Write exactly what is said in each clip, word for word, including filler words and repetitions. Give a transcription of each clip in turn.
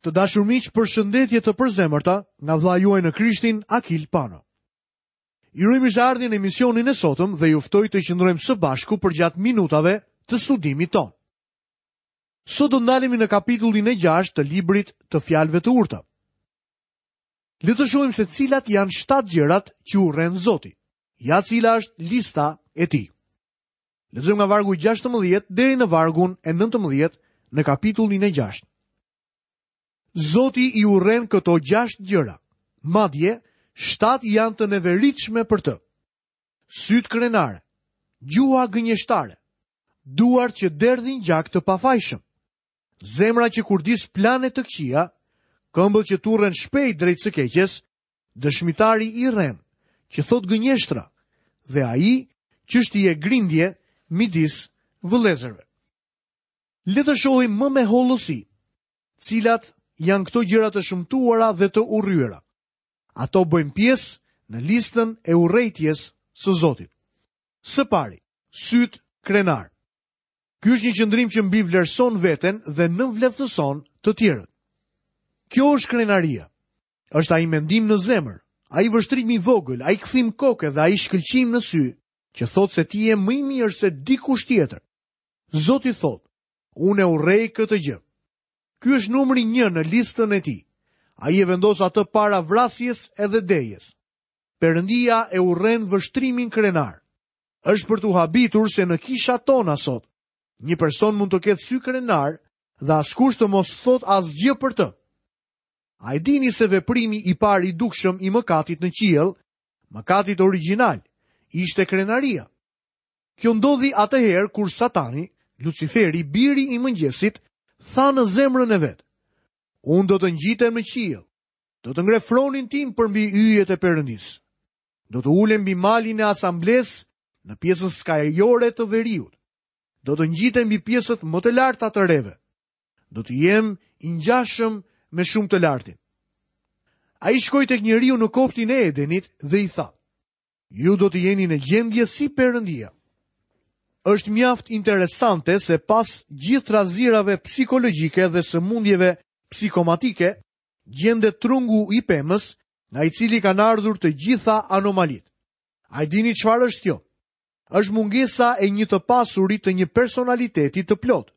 Të dashur miq, përshëndetje të përzemërta nga vëllai juaj në Krishtin, Akil Pano. Ju uroj mirëseardhjen në emisionin e sotëm dhe ju ftoj të qëndrojmë së bashku përgjatë minutave të studimit tonë. Sot do ndalemi në kapitullin e gjashtë të librit të fjalëve të urta. Le të shohim se cilat janë shtatë gjërat që urren Zoti. Ja cila është lista e tij. Lexojmë nga vargu gjashtëmbëdhjetë deri në vargun e nëntëmbëdhjetë në kapitullin e gjashtë. Zoti i urren këto gjashtë gjëra. Madje, shtatë janë të neveritshme për të. Sytë krenare, gjuha gënjeshtare, duart që derdhin gjak të pafajshëm, zemra që kurdis plane të këqija, këmbët që turren shpejt drejt së keqes, dëshmitari i rrem, që thot gënjeshtra, dhe ai që shtie grindje midis vëllezërve. Le të shohim më me hollësi cilat janë këto gjëra të shëmtuara dhe të urryera. Ato bëjnë pjesë në listën e urrejtjes së Zotit. Së pari, syt krenar. Ky është një qëndrim që mbivlerëson veten dhe nënvleftëson të tjerët. Kjo është krenaria. Është ai mendim në zemër, ai vështrim i vogël, ai kthim koke dhe ai shkëlqim në sy, që thotë se ti je më i mirë se dikush tjetër. Zoti thotë, unë e urrej këtë gjë. Ky është numri një në listën e tij. Ai e vendos atë para vrasjes edhe dejes. Perëndia e urren vështrimin krenar. Është për t'u habitur se në kishat tona sot, një person mund të ketë sy krenar dhe askush të mos thot asgjë për të. A e dini se veprimi i parë i dukshëm i mëkatit në qiell, mëkatit origjinal, ishte krenaria? Kjo ndodhi atëherë kur Satani, Luciferi, biri i mëngjesit, tha në zemrën e vet: Unë do të ngjitem në qiell, do të ngre fronin tim përmbi yjet e Perëndisë. Do të ulem mbi malin e asamblesë në pjesën skajore të veriut. Do të ngjitem mbi pjesët më të larta të reve. Do të jem i ngjashëm me shumë të lartin. Ai shkoi tek njeriu në kopshtin e Edenit dhe i tha: Ju do të jeni në gjendje si Perëndia. Është mjaft interesante se pas gjithë trazirave psikologjike dhe sëmundjeve psikomatike, gjendet trungu i pemës, nga i cili kanë ardhur të gjitha anomalitë. A e dini çfarë është kjo? Është mungesa e një të pasuri të një personaliteti të plot.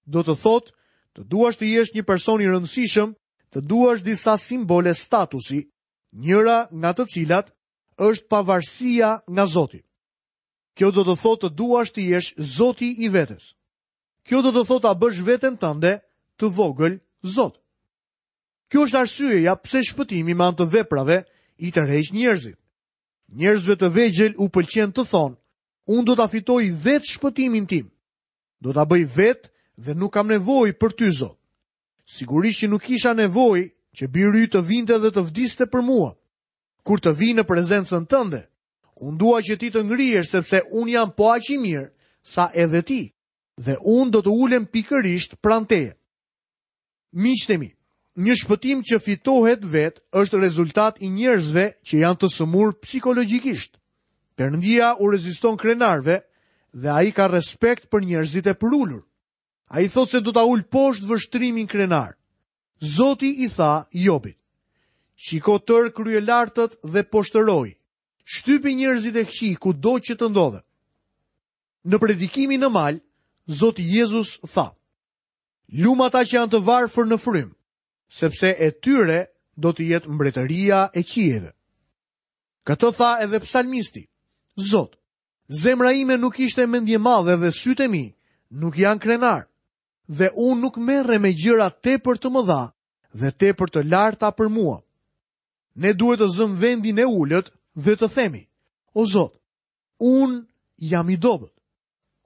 Do të thotë, të duash të jesh një person i rëndësishëm, të duash disa simbole statusi, njëra nga të cilat është pavarësia nga Zoti. Kjo do të thotë të duash të jesh Zoti i vetes. Kjo do të thotë ta bësh veten tënde të vogël Zot. Kjo është arsyeja pse shpëtimi me anë të veprave i tërheq njerëzit. Njerëzve të vegjël u pëlqen të thonë: unë do ta fitoj vetë shpëtimin tim. Do ta bëj vetë dhe nuk kam nevojë për ty, Zot. Sigurisht që nuk kisha nevojë që biri yt të vinte dhe të vdiste për mua. Kur të vi në prezencën tënde, unë dua që ti të ngrihesh sepse unë jam po aq i mirë sa edhe ti, dhe unë do të ulem pikërisht pranë teje. Miqtë e mi, një shpëtim që fitohet vetë është rezultat i njerëzve që janë të sëmur psikologjikisht. Perëndia u reziston krenarëve dhe ai ka respekt për njerëzit e përulur. Ai thotë se do ta ul poshtë vështrimin krenar. Zoti i tha Jobit: Shiko tërë kryelartët dhe poshtëroi. Shtypi njerëzit e këqij kudo që të ndodhen. Në predikimin në mal, Zoti Jezus tha: Lum ata që janë të varfër në frymë, sepse e tyre do të jetë mbretëria e qiejve. Këtë tha edhe psalmisti: Zot, zemra ime nuk ishte mendjemadhe dhe sytë e mi nuk janë krenar, dhe unë nuk merrem me gjëra tepër të mëdha dhe tepër të larta për mua. Ne duhet të zëm vendin e ulët dhe të themi: O Zot, unë jam i dobët.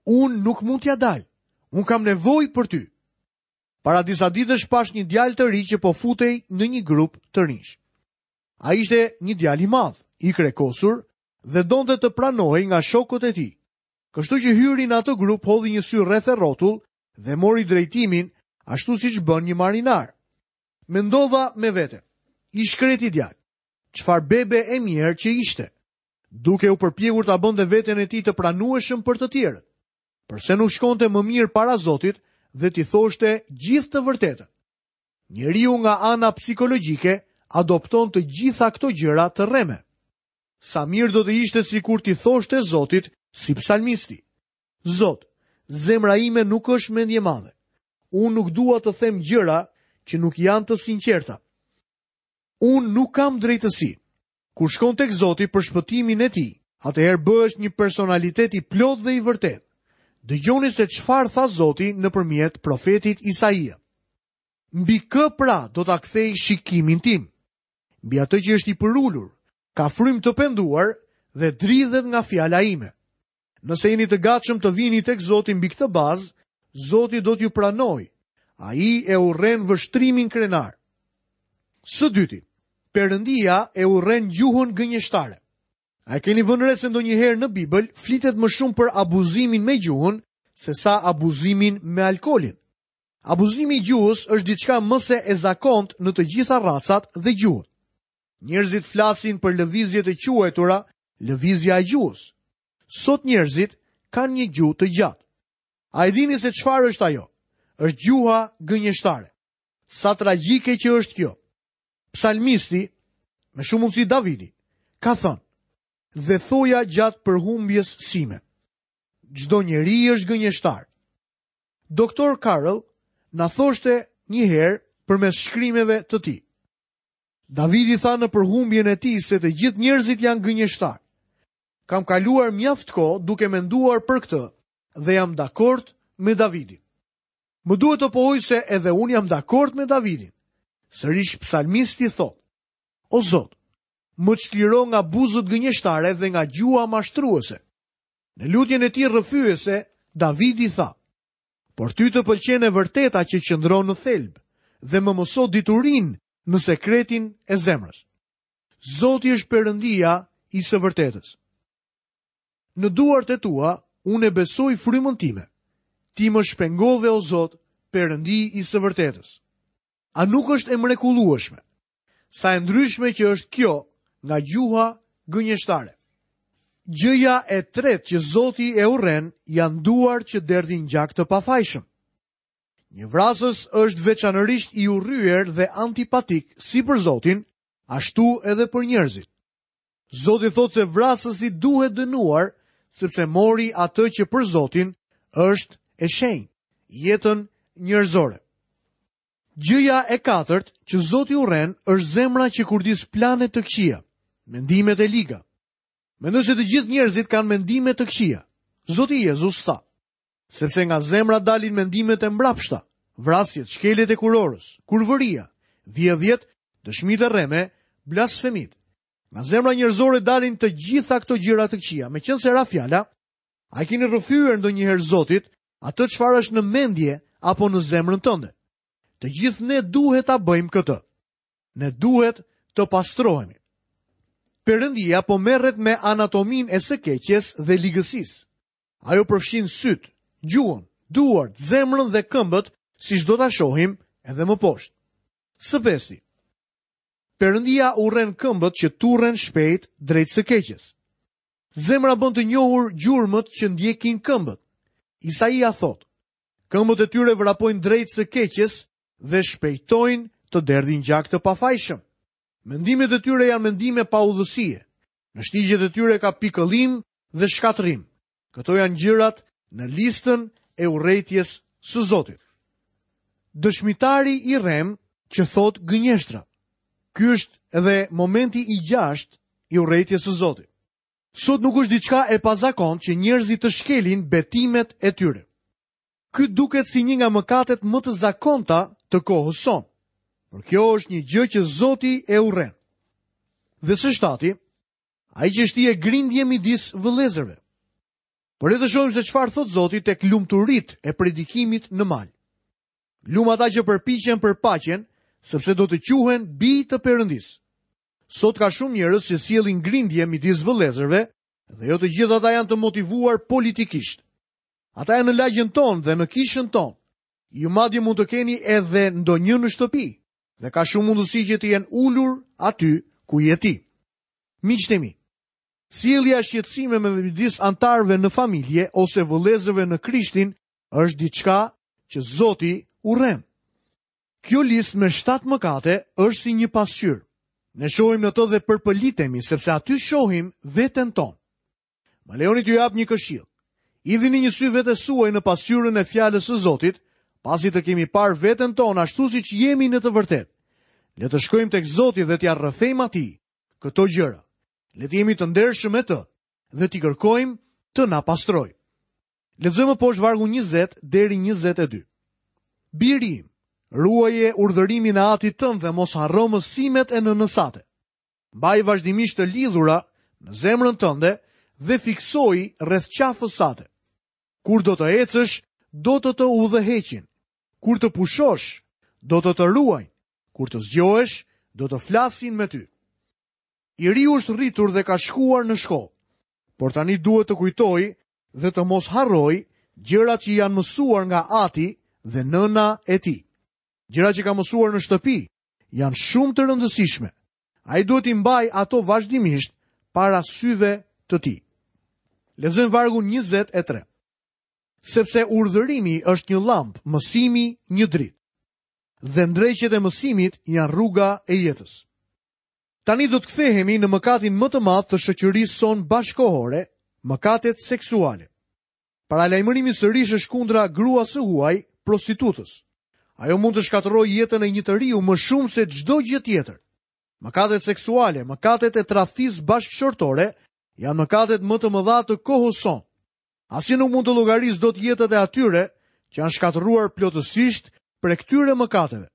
Unë nuk mund t'ja dal. Unë kam nevojë për ty. Para disa ditësh pash një djalë të ri që po futej në një grup të rinj. Ai ishte një djalë i madh, i krekosur dhe donte të pranohej nga shokët e tij. Kështu që hyri në atë grup, hodhi një sy rreth e rrotull dhe mori drejtimin ashtu siç bën një marinar. Mendova me vete, i shkreti djalë, çfarë bebe e mirë që ishte, duke u përpjekur ta bënte veten e tij të pranueshëm për të tjerët. Përse nuk shkonte më mirë para Zotit dhe t'i thoshte gjithë të vërtetën? Njeriu nga ana psikologjike adopton të gjitha këto gjëra të rreme. Sa mirë do të ishte sikur t'i thoshte Zotit si psalmisti: Zot, zemra ime nuk është mendjemadhe. Unë nuk dua të them gjëra që nuk janë të sinqerta. Unë nuk kam drejtësi. Kur shkon tek Zoti për shpëtimin e tij, atëherë bëhesh një personalitet i plotë dhe i vërtetë. Dëgjoni se çfarë tha Zoti nëpërmjet profetit Isaia. Mbi kë pra do ta kthej shikimin tim? Mbi atë që është i përulur, ka frymë të penduar dhe dridhet nga fjala ime. Nëse jeni të gatshëm të vini tek Zoti mbi këtë bazë, Zoti do t'ju pranojë. Ai e urren vështrimin krenar. Së dyti, Perëndia e urren gjuhën gënjeshtare. A e keni vënë re se ndonjëherë në Bibël flitet më shumë për abuzimin me gjuhën se sa abuzimin me alkoolin? Abuzimi i gjuhës është diçka më se e zakont në të gjitha racat dhe gjuhët. Njerëzit flasin për lëvizjet e quajtura lëvizja e gjuhës. Sot njerëzit kanë një gjuhë të gjatë. A e dini se çfarë është ajo? Është gjuha gënjeshtare. Sa tragjike që është kjo. Psalmisti, me shumë mundësi Davidi, ka thënë: "Dhe thoja gjatë përhumbjes sime, çdo njeri është gënjeshtar." Doktor Carl na thoshte një herë përmes shkrimeve të tij. Davidi tha në përhumbjen e tij se të gjithë njerëzit janë gënjeshtar. Kam kaluar mjaft kohë duke menduar për këtë dhe jam dakord me Davidin. Më duhet të pohoj se edhe unë jam dakord me Davidin. Sërish psalmisti thotë: O Zot, më çliro nga buzët gënjeshtare dhe nga gjuha mashtruese. Në lutjen e tij rrëfyese, Davidi tha: Por ty të pëlqen e vërteta që qëndron në thelb dhe më mëso diturinë në sekretin e zemrës. Zoti është Perëndia i së vërtetës. Në duart e tua unë e besoj frymën time. Ti më shpengove, o Zot, Perëndi i së vërtetës. A nuk është e mrekullueshme? Sa e ndryshme që është kjo nga gjuha gënjeshtare. Gjëja e tretë që Zoti e urren janë duart që derdhin gjak të pafajshëm. Një vrasës është veçanërisht i urryer dhe antipatik si për Zotin, ashtu edhe për njerëzit. Zoti thotë se vrasësi duhet dënuar sepse mori atë që për Zotin është e shenjtë, jetën njerëzore. Gjëja e katërt që Zoti urren është zemra që kurdis plane të këqija, mendimet e liga. Mendoj se të gjithë njerëzit kanë mendime të këqija. Zoti Jezus tha: sepse nga zemra dalin mendimet e mbrapshta, vrasjet, shkeljet e kurorës, kurvëria, vjedhjet, dëshmitë e rreme, blasfemit. Nga zemra njerëzore dalin të gjitha këto gjëra të këqija. Meqense ra fjala, a i keni rrëfyer ndonjëherë Zotit atë çfarë është në mendje apo në zemrën tënde? Të gjithë ne duhet ta bëjmë këtë. Ne duhet të pastrohemi. Perëndia po merret me anatominë e së keqes dhe ligësisë. Ajo përfshin syt, gjuhën, duart, zemrën dhe këmbët, siç do ta shohim edhe më poshtë. Së pesti, Perëndia urren këmbët që turren shpejt drejt së keqes. Zemra bën të njohur gjurmët që ndjekin këmbët. Isaia thotë: këmbët e tyre vrapojnë drejt së keqes dhe shpejtojnë të derdhin gjak të pafajshëm. Mendimet e tyre janë mendime paudhësie. Në shtigjet e tyre ka pikëllim dhe shkatërrim. Këto janë gjërat në listën e urrejtjes së Zotit. Dëshmitari i rrem që thot gënjeshtra. Ky është edhe momenti i gjashtë i urrejtjes së Zotit. Sot nuk është diçka e pazakontë që njerëzit të shkelin betimet e tyre. Ky duket si një nga mëkatet më të zakonta të kohës sonë. Por kjo është një gjë që Zoti e urren. Dhe së shtati, ai që shtie grindje midis vëllezërve. Por le të shohim se çfarë thot Zoti tek lumturit e predikimit në mal. Lum ata që përpiqen për paqen, sepse do të quhen bij të Perëndisë. Sot ka shumë njerëz që sjellin grindje midis vëllezërve dhe jo të gjithë ata janë të motivuar politikisht. Ata janë në lagjen tonë dhe në kishën tonë. Ju madje mund të keni edhe ndonjë në shtëpi dhe ka shumë mundësi që të jenë ulur aty ku je ti. Miqtë e mi, sjellja e shqetësimeve midis antarëve në familje ose vëllezërve në Krishtin është diçka që Zoti urren. Kjo listë me shtatë mëkate është si një pasqyrë. Ne shohim në të dhe përpëlitemi, sepse aty shohim veten tonë. Më lejoni t'ju jap një këshillë. Hidhini një sy vetes suaj në pasqyrën e fjalës së Zotit, pasi të kemi parë veten tonë ashtu siç jemi në të vërtetë. Le të shkojmë tek Zoti dhe t'ia rrëfejmë atij këto gjëra. Le të jemi të ndershëm me të dhe t'i kërkojmë të na pastrojë. Lexojmë poshtë vargun njëzet deri njëzet e dy. Biri im, ruaje urdhërimin e atit tënd dhe mos harro mësimet e nënës sate. Mbaj vazhdimisht të lidhura në zemrën tënde dhe fiksoji rreth qafës sate. Kur do të ecësh, do të të udhëheqin. Kur të pushosh, do të të ruajnë. Kur të zgjohesh, do të flasin me ty. I riu është rritur dhe ka shkuar në shkollë, por tani duhet të kujtojë dhe të mos harrojë gjërat që janë mësuar nga ati dhe nëna e tij. Gjërat që ka mësuar në shtëpi janë shumë të rëndësishme. Ai duhet t'i mbajë ato vazhdimisht para syve të tij. Lexojmë vargun njëzet e tre. Sepse urdhërimi është një llambë, mësimi një dritë. Dhe ndreqjet e mësimit janë rruga e jetës. Tani do të kthehemi në mëkatin më të madh të shoqërisë sonë bashkohore, mëkatet seksuale. Paralajmërimi sërish është kundra gruas së huaj, prostitutës. Ajo mund të shkatërrojë jetën e një të riu më shumë se çdo gjë tjetër. Mëkatet seksuale, mëkatet e tradhtisë bashkëshortore janë mëkatet më të mëdha të kohës sonë. Asnjë nuk mund të llogarisë dot jetët e atyre që janë shkatërruar plotësisht prej këtyre mëkateve.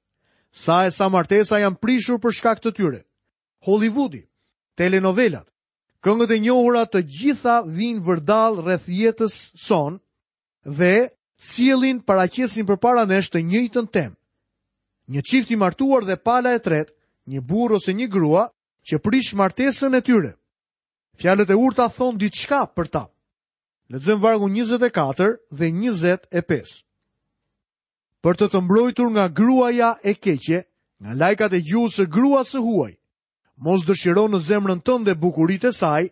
Sa e sa martesa janë prishur për shkak të tyre. Hollywoodi, telenovelat, këngët e njohura të gjitha vijnë vërdall rreth jetës sonë dhe sjellin paraqesin përpara nesh të njëjtën temë. Një çift i martuar dhe pala e tretë, një burrë ose një grua që prish martesën e tyre. Fjalët e urta thon diçka për ta. Lexojmë vargun njëzet e katër dhe njëzet e pesë. Për të të mbrojtur nga gruaja e keqe, nga lajkat e gjuhës së gruas së huaj, mos dëshiro në zemrën tënde bukuritë e saj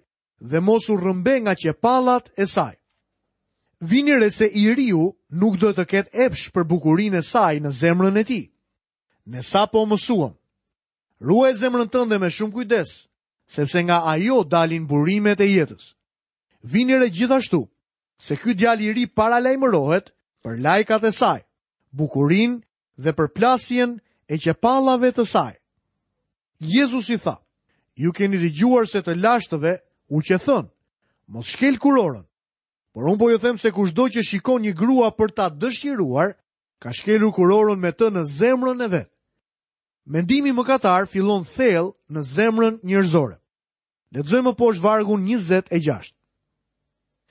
dhe mos u rrëmbe nga qepallat e saj. Vini re se i riu nuk do të ketë epsh për bukurinë e saj në zemrën e tij. Ne sapo mësuam. Ruaj zemrën tënde me shumë kujdes, sepse nga ajo dalin burimet e jetës. Vini re gjithashtu se ky djalë i ri paralajmërohet për lajkat e saj, bukurinë dhe përplasjen e qepallave të saj. Jezusi tha, ju keni dëgjuar se të lashtëve u qe thënë, mos shkel kurorën. Por unë po ju them se kushdo që shikon një grua për ta dëshiruar, ka shkelur kurorën me të në zemrën e vet. Mendimi mëkatar fillon thellë në zemrën njerëzore. Lexojmë poshtë vargun njëzet e gjashtë.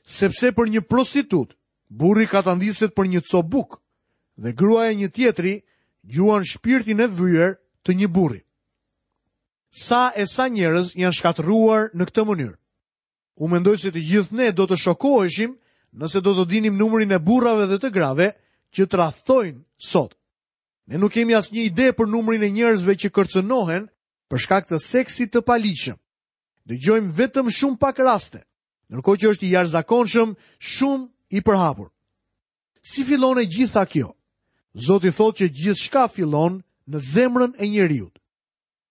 Sepse për një prostitut, burri katandiset për një copë bukë, dhe gruaja e një tjetri gjuan shpirtin e vyer të një burri. Sa e sa njerëz janë shkatërruar në këtë mënyrë. Unë mendoj se të gjithë ne do të shokoheshim nëse do të dinim numrin e burrave dhe të grave që tradhtojnë sot. Ne nuk kemi asnjë ide për numrin e njerëzve që kërcënohen për shkak të seksit të paligjshëm. Dëgjojmë vetëm shumë pak raste, ndërkohë që është i jashtëzakonshëm, shumë i përhapur. Si fillon e gjitha kjo? Zoti thotë që gjithçka fillon në zemrën e njeriut.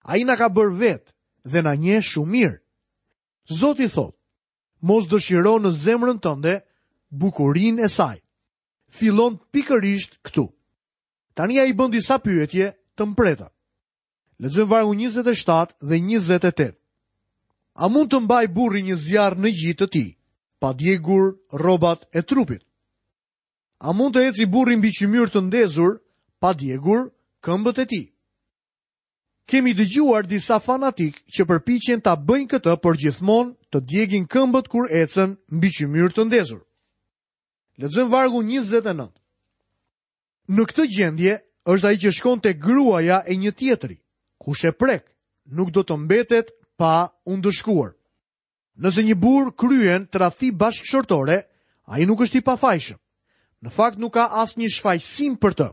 Ai na ka bërë vetë dhe na njeh shumë mirë. Zoti thotë, mos dëshiro në zemrën tënde bukurinë e saj. Fillon pikërisht këtu. Tani ai bën disa pyetje të mprehta. Lexojmë vargun njëzet e shtatë dhe njëzet e tetë. A mund të mbaj burri një zjarr në gji të tij, pa djegur rrobat e trupit? A mund të eci burri mbi qymyr të ndezur, pa djegur këmbët e tij? Kemi dëgjuar disa fanatik që përpiqen ta bëjnë këtë, por gjithmonë të djegin këmbët kur ecën mbi qymyr të ndezur. Lexojmë vargun njëzet e nëntë. Në këtë gjendje është ai që shkon te gruaja e një tjetri. Kush e prek, nuk do të mbetet pa u ndëshkuar. Nëse një burr kryen tradhti bashkëshortore, ai nuk është i pafajshëm. Në fakt nuk ka asnjë shfajësim për të.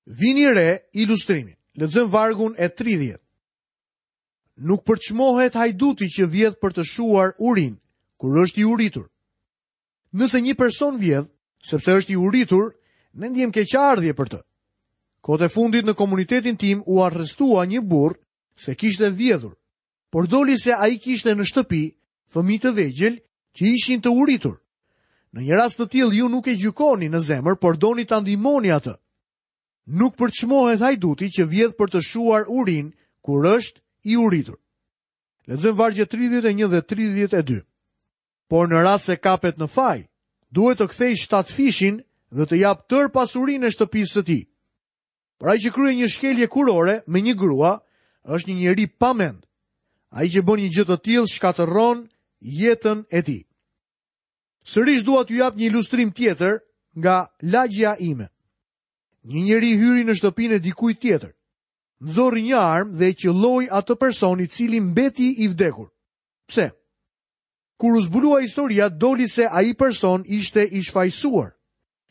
Vini re ilustrimin. Lexojmë vargun e tridhjetë. Nuk përçmohet hajduti që vjedh për të shuar urin, kur është i uritur. Nëse një person vjedh, sepse është i uritur, ne ndjem keqardhje për të. Kohët e fundit në komunitetin tim u arrestua një burrë se kishte vjedhur, por doli se ai kishte në shtëpi fëmijë të vegjël që ishin të uritur. Në një rast të tillë ju nuk e gjykoni në zemër, por doni ta ndihmoni atë. Nuk përçmohet hajduti që vjedh për të shuar urinë kur është i uritur. Lexojmë vargjet tridhjetë e një dhe tridhjetë e dy. Por në rast se kapet në faj, duhet të kthejë shtatëfishin dhe të japë tërë pasurinë e shtëpisë së tij. Por ai që kryen një shkelje kurore me një grua është një njeri pa mend. Ai që bën një gjë të tillë shkatërron jetën e tij. Sërish dua t'ju jap një ilustrim tjetër nga lagjja ime. Një njeri hyri në shtëpinë e dikujt tjetër. Nxorri një armë dhe e qëlloi atë person i cili mbeti i vdekur. Pse? Kur u zbulua historia, doli se ai person ishte i shfajësuar.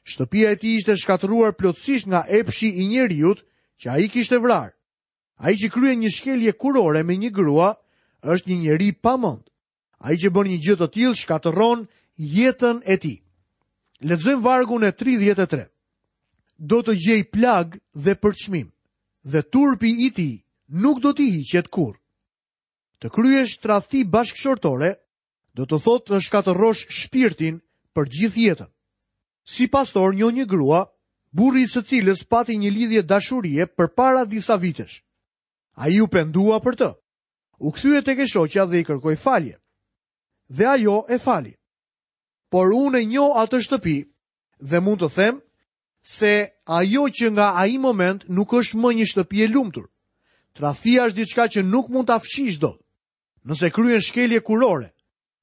Shtëpia e tij ishte shkatërruar plotësisht nga epshi i njeriut që ai kishte vrarë. Ai që kryen një shkelje kurore me një grua është një njeri pa mend. Ai që bën një gjë të tillë shkatërron jetën e tij. Lexojmë vargun e tridhjetë e tre. Do të gjej plag dhe përçmim, dhe turpi i tij nuk do t'i hiqet kurrë. Të kryesh tradhti bashkëshortore do të thotë të shkatërrosh shpirtin për gjithë jetën. Si pastor njoh një grua, burri i së cilës pati një lidhje dashurie përpara disa vitesh. Ai u pendua për të. U kthye tek e shoqja dhe i kërkoi falje. Dhe ajo e fali. Por unë e njoh atë shtëpi dhe mund të them se ajo që nga ai moment nuk është më një shtëpi e lumtur. Tradhtia është diçka që nuk mund ta fshish dot. Nëse kryen shkelje kurore,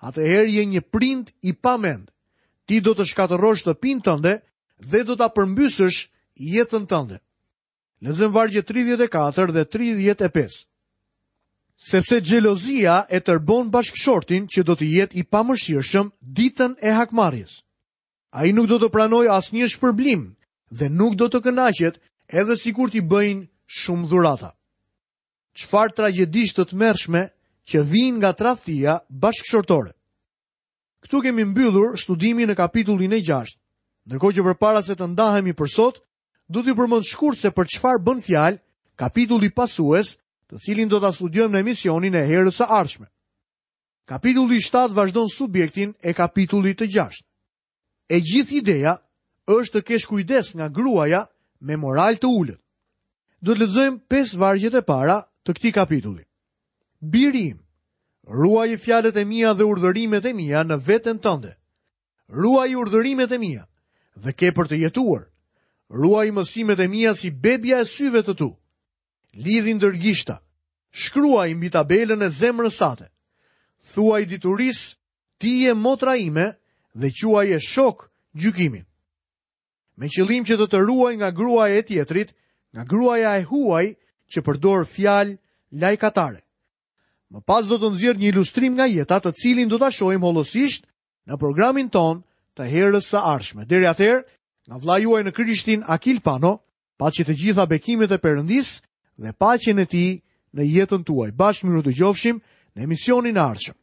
atëherë je një prind i pamend. Ti do të shkatërrosh shtëpinë tënde dhe do ta përmbysësh jetën tënde. Lexojmë vargjet tridhjetë e katër dhe tridhjetë e pesë. Sepse xhelozia e tërbon bashkëshortin që do të jetë i pamëshirshëm ditën e hakmarrjes. Ai nuk do të pranojë asnjë shpërblim dhe nuk do të kënaqet edhe sikur t'i bëjnë shumë dhurata. Çfarë tragjedish të tmerrshme që vijnë nga tradhtia bashkëshortore. Këtu kemi mbyllur studimin në kapitullin e gjashtë. Ndërkohë që përpara se të ndahemi për sot, do t'ju përmend shkurt se për çfarë bën fjalë kapitulli pasues, të cilin do ta studiojmë në emisionin e herës së ardhshme. Kapitulli shtatë vazhdon subjektin e kapitullit të gjashtë. E gjithë ideja është të kesh kujdes nga gruaja me moral të ulët. Do të lexojmë pesë vargjet e para të këtij kapitulli. Biri im, ruaji fjalët e mia dhe urdhërimet e mia në veten tënde. Ruaji urdhërimet e mia dhe ke për të jetuar. Ruaji mësimet e mia si bebja e syve të tu. Lidhi ndër gishta, shkruaj mbi tabelën e zemrës sate. Thuaj diturisë, ti je motra ime dhe quaje shok gjykimin. Me qëllim që të të ruaj nga gruaja e tjetrit, nga gruaja e huaj që përdor fjalë lajkatare. Më pas do të nxjerr një ilustrim nga jeta, të cilin do ta shohim hollësisht në programin ton të herës së ardhshme. Deri atëherë, nga vëllai juaj në Krishtin Akil Pano, paçi të gjitha bekimet e Perëndisë dhe paqen e tij në jetën tuaj. Bashkë mirë u dëgjofshim në emisionin e ardhshëm.